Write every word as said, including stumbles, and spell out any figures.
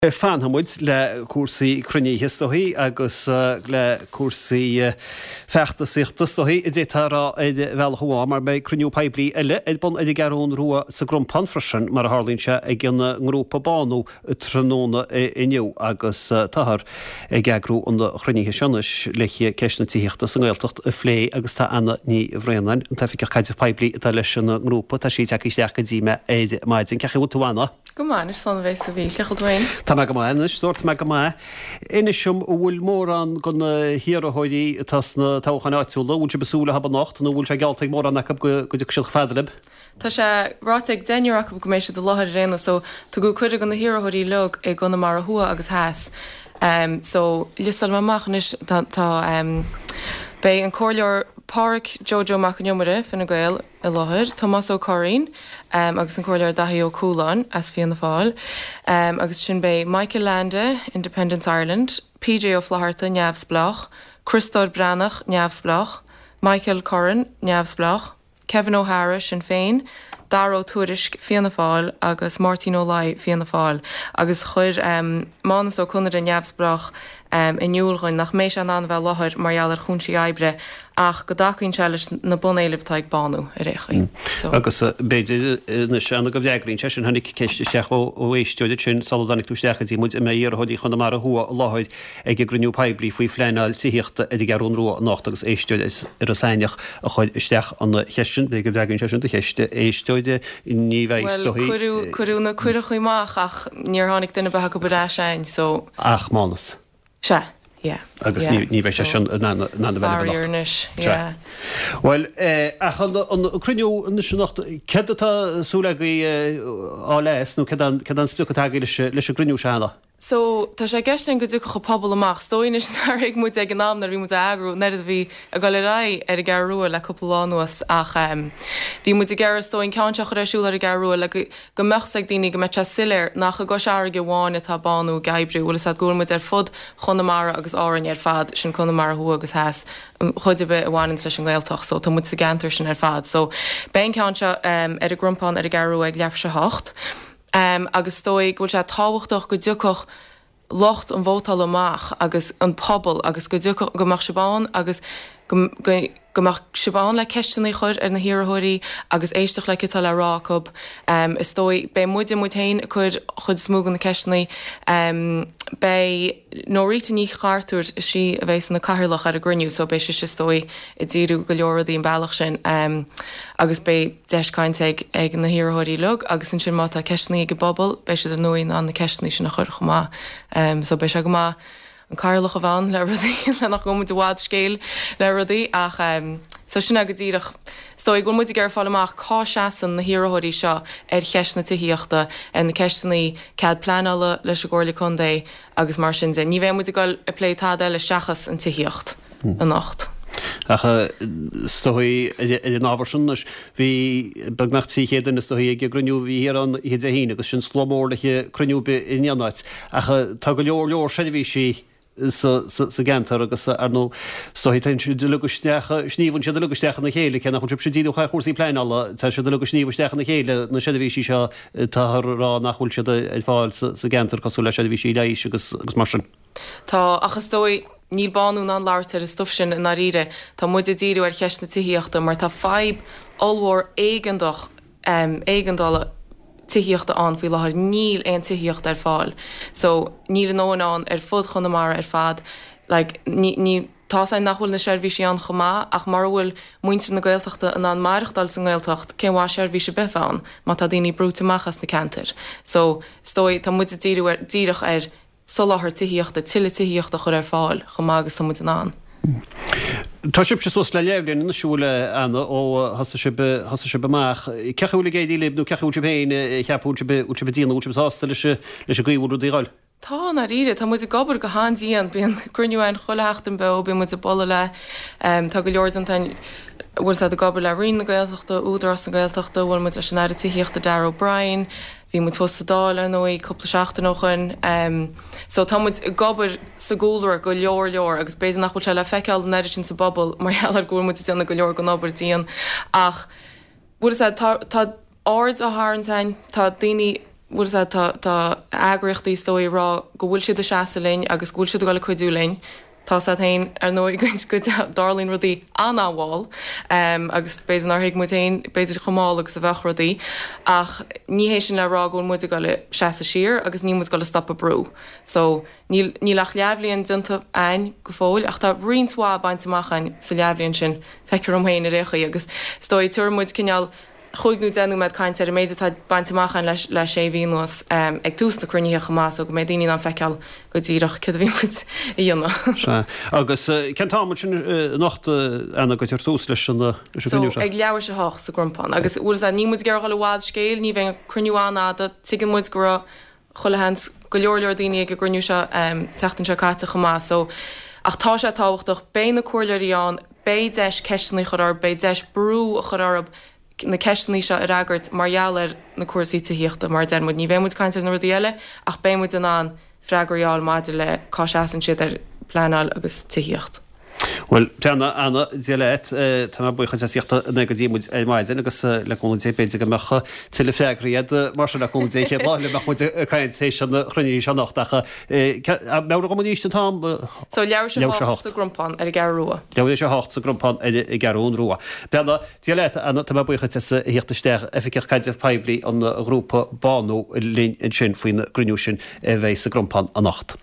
Fanfaidh muid le cúrsaí cruinnithe is dóichí agus le cúrsaí feachtasaíochta is dóichí a d'fhéadfá a rá ar bhealach amháin mar beidh cruinniú poiblí eile ar bun ar an gCeathrún Rua sa gCrompán freisin mar a tharlaíonn sé ag an ngrúpa Bánú tráthnóna inniu agus táthar ag eagrú an chruinnithe seo anois le ceist na tithíochta sa nGaeltacht a phlé agus tá Anna Ní Bhraonáin, an tOifigeach Caidrimh Poiblí atá leis an ngrúpa, tá sí tagtha isteach go dtí mé ar maidin. Cén chaoi a bhfuil tú Anna? Go maith anois slán a bheas a bhí. Cén chaoi a bhfuil tú féin? Tá mé go maith anois, dúirt mé go maith. Inis dom an bhfuil mórán de na hiarrthóirí atá sna toghcháin áitiúla, an bhfuil sibh ag súil leo anocht nó an bhfuil sé geallta ag mórán acu go dtiocfaidh siad chomh fada libh? Tá sé ráite ag deichniúr acu go mbeidh siad i láthair ar aon nós so tugadh cuireadh do na hiarrthóirí uilig i gConamara Thuaidh agus Theas. Um, so liostáil mé amach anois tá, tá um, beidh an Comhairleoir Pádraic Joe Mac an Iomaire Fine Gael i láthair, Tomás Ó Curraoin um, agus an Comhairleoir Daithí Ó Cualáin as Fianna Fáil, um, agus sin beidh Michael Leainde, Independence Ireland, PJ Ó Flatharta neamhspleách, Criostóir Breathnach neamhspleách, Michael Curran neamhspleách, Kevin O'Hara Sinn Féin, Dara Ó Tuairisg Fianna Fáil agus Máirtín Ó Laoi Fianna Fáil agus chuir um, Mánas Ó Conaire neamhspleách um, in iúl dúinn nach mbeidh sé in ann bheith i láthair mar gheall ar chúinsí oibre ach go dtacaíonn sé leis na bunéilimh atá ag Bánú ar aon chaoi. So. Agus b'fhéidir anois Anna go bhfreagraíonn sé sin tháinig ceist isteach ó ó éisteoir sin sula dtáinig tú isteach go dtí muid an mbeidh iarrthóirí Chonamara Thuaidh i láthair ag an gcruinniú poiblí faoi phleanáil tithíochta ar an gCeathrún Rua anocht agus éisteoir ar Iorras Aithneach a chuir isteach an cheist sin b'fhéidir go bhfreagraíonn sé sin do cheist éisteoir ní bheidh Well, cuireadh cuireadh na cuirí amach ach níor tháinig duine ar bith acu ar ais againn so ach Mánas. Se. Yeah. Agus ní bheidh sé sin na anois. Well ach an cruinniú anocht céard atá súil agaibh a fháil nó céard an sprioc atá agaibh leis an gcruinniú seo Anna? So tá sé i gceist go dtiocfadh an pobal amach, so anois nár thuig muid ag an am nuair a bhí muid á eagrú an oiread a bhí ag dul ar aghaidh ar an gCeathrú Rua le cúpla lá anuas ach um, bhí muid ag iarraidh so an ceann seo a chur ar siúl ar an gCeathrú Rua le go, go mbeadh ag daoine go mbeadh sé soiléir nach i gCois Fharraige amháin atá Bánú ag oibriú, bhfuil a go bhfuil muid ar fud Chonamara agus Árainn ar fad sin Conamara Thuaidh agus Theas chuid a bheith a bhaineann leis an nGaeltacht, so tá muid sa gceantar sin ar fad. So beidh an ceann seo um, ar an gCrompán ar an gCeathrú Rua ag leathuair tar éis a hocht. Um, agus dóigh go bhfuil sé tábhachtach go dtiocfadh lucht an vótála amach agus an pobal agus go dtiocfadh go mbeadh sibh ann agus go, go, go mbeadh sibh ann le ceisteanna a chur ar na hiarrthóirí agus éisteacht le cad atá le rá acu. Um, is dóigh beidh muide muid féin ag cur chuid is mó de na ceisteanna um, beidh Norita Ní Chartúir is í a bheidh ina cathaoirleach ar an gcruinniú, so beidh sí is dóigh ag díriú go leor rudaí an bealach sin um, agus beidh deis cainte ag, ag na hiarrthóirí uilig agus ansin má tá ceisteanna ag an bpobal beidh siad ar ndóigh in ann na ceisteanna sin a chur chomh maith. Um, so beidh sé go maith an cathaoirleach a bheith ann le rudaí le nach ngabhfaidh muid i bhfad scéil le rudaí ach um, so sin go díreach is dóigh go bhfuil muid ag iarraidh fáil amach cá seasann na hiarrthóirí seo ar cheist na tithíochta ar na ceisteanna cead pleanála leis an gComhairle Contae agus mar sin de. Ní bheidh muid ag dul ag plé tada eile seachas an tithíocht anocht. Ach is dóigh ar an ábhar sin anois bhí beagnach trí chéad duine is dóigh ag an gcruinniú a bhí thiar an oíche Dé hAoine agus sin slua mór le cruinniú ar bith in aon áit. Ach tá go leor leor seirbhísí sa, sa, sa gceantar agus ar ndóigh is dóigh tá siad uilig isteach sníomhann siad uilig isteach ina chéile cé nach bhfuil sibh díreach ar chúrsaí pleanála tá siad uilig ag sníomh isteach ina chéile na seirbhísí seo tá rá nach bhfuil siad ar fáil sa, sa gceantar cosúil le seirbhísí leighis agus agus mar sin. Tá ach is dóigh níl Bánú in ann labhairt ar an stuif sin i ndáiríre Tá muid ag díriú ar cheist na tithíochta mar tá fadhb ollmhór éigeantach um, éigeandála tithíochta ann faoi láthair níl aon tithíocht ar fáil. So níl a ndóthain ann ar fud Chonamara ar fad like, ní, ní, tá sé nach bhfuil na seirbhísí ann chomh maith ach mura bhfuil muintir na Gaeltachta in ann maireachtáil sa nGaeltacht cén mhaith seirbhís a bheith ann má tá daoine brúite amach as na ceantair. So is dóigh tá muid ag díriú ar díreach ar soláthar tithíochta tuilleadh tithíochta chur ar fáil chomh maith agus tá muid in ann. Tá sibh suas le leathbhliain anois bhfuil Anna ó thosaigh sibh thosaigh sibh amach. Cén chaoi a bhfuil ag éirí libh nó cén chaoi a bhfuil sibh féin ceap bhfuil sibh bhfuil sibh ag déanamh bhfuil sibh sásta leis leis an gcaoi a bhfuil rudaí ag dul. Tá i ndáiríre, tá muid ag obair go han-dian, bíonn cruinniú ann chuile sheachtain beo, bíonn muid ag bualadh le um, tá go leor den bhfuil siad ag obair le Roinn na Gaeltachta, Údarás na Gaeltachta, bhfuil muid leis an Aire Tithíochta Darragh O'Brien, bhí muid thuas sa Dáil ar ndóigh cúpla seachtain ó shin. Um, so tá muid ag obair sa gcúlra go leor leor agus b'fhéidir nach bhfuil sé le feiceáil an oiread sin sa bpobal mar gheall ar go bhfuil muid ag déanamh go leor den obair dian ach bhfuil tá tá aird á tharraingt orainn tá daoine bhfuil a fhios a'd tá tá eagraíochtaí is dóigh ag rá go bhfuil siad ag seasamh linn agus go bhfuil siad ag dul ag cuidiú linn. Tá a fhios a'd féin ar ndóigh go dtarlaíonn rudaí an-mhall agus b'fhéidir nár thuig muid féin b'fhéidir chomh mall agus a bheadh rudaí ach ní hé sin le rá go bhfuil muid ag dul a seasamh siar agus níl muid ag dul a stopadh brú. So níl níl ach leathbhliain déanta a'ainn go fóill ach tá roinnt mhaith bainte amach a'ainn sa leathbhliain sin, feictear dom féin ar aon chaoi agus is dóigh tabharfaidh muid cineál chúig nó deich nóiméad cainte ar an méid atá bainte amach a'ainn le sé mhí anuas ag tús na cruinnithe chomh maith so go mbeidh daoine in ann feiceáil go díreach céard a bhí muid a dhéanamh. Sea. Agus cén t-am ansin anocht, Anna, go dtabharfar tús leis an gcruinniú seo? So ag leathuair tar éis a hocht sa gCrompán. Agus bhfuil a fhios a'd, níl muid ag iarraidh dhul i bhfad scéil, ní bheidh an cruinniú an-fhada, tuigeann muid go raibh chuile sheans go leor leor daoine ag an gcruinniú seo an tseachtain seo caite chomh maith so ach tá sé tábhachtach, beidh na comhairleoirí ann, beidh deis ceisteanna a chur orthu, beidh deis brú a chur orthu na ceisteanna seo a fhreagairt mar gheall ar na cúrsaí tithíochta, mar a deir muid, ní bheidh muid ag caint ar na rudaí eile ach beidh muid in ann freagraí a fháil maidir le cá seasann siad ar pleanáil agus tithíocht. Bhuel, Anna, Anna, Dia leat, tá mé buíoch as theacht anonn go dtí muid ar maidin agus le cúnamh Dé b'fhéidir go mbeadh tuilleadh freagraí agat mar sin le cúnamh Dé chéad lá eile a mbeadh muid ag caint théis an chruinnithe seo anocht ach meabhraigh dom arís an t-am? So leathuair tar éis a hocht sa gCrompán ar an gCeathrú Rua. Leathuair tar éis a hocht sa gCrompán ar an gCeathrú Rua. Beanna, Dia leat, Anna, tá mé buíoch duit as a theacht isteach, Oifigeach Caidrimh Poiblí an ghrúpa Bánú linn ansin faoin gcruinniú sin a bheidh sa gCrompán anocht.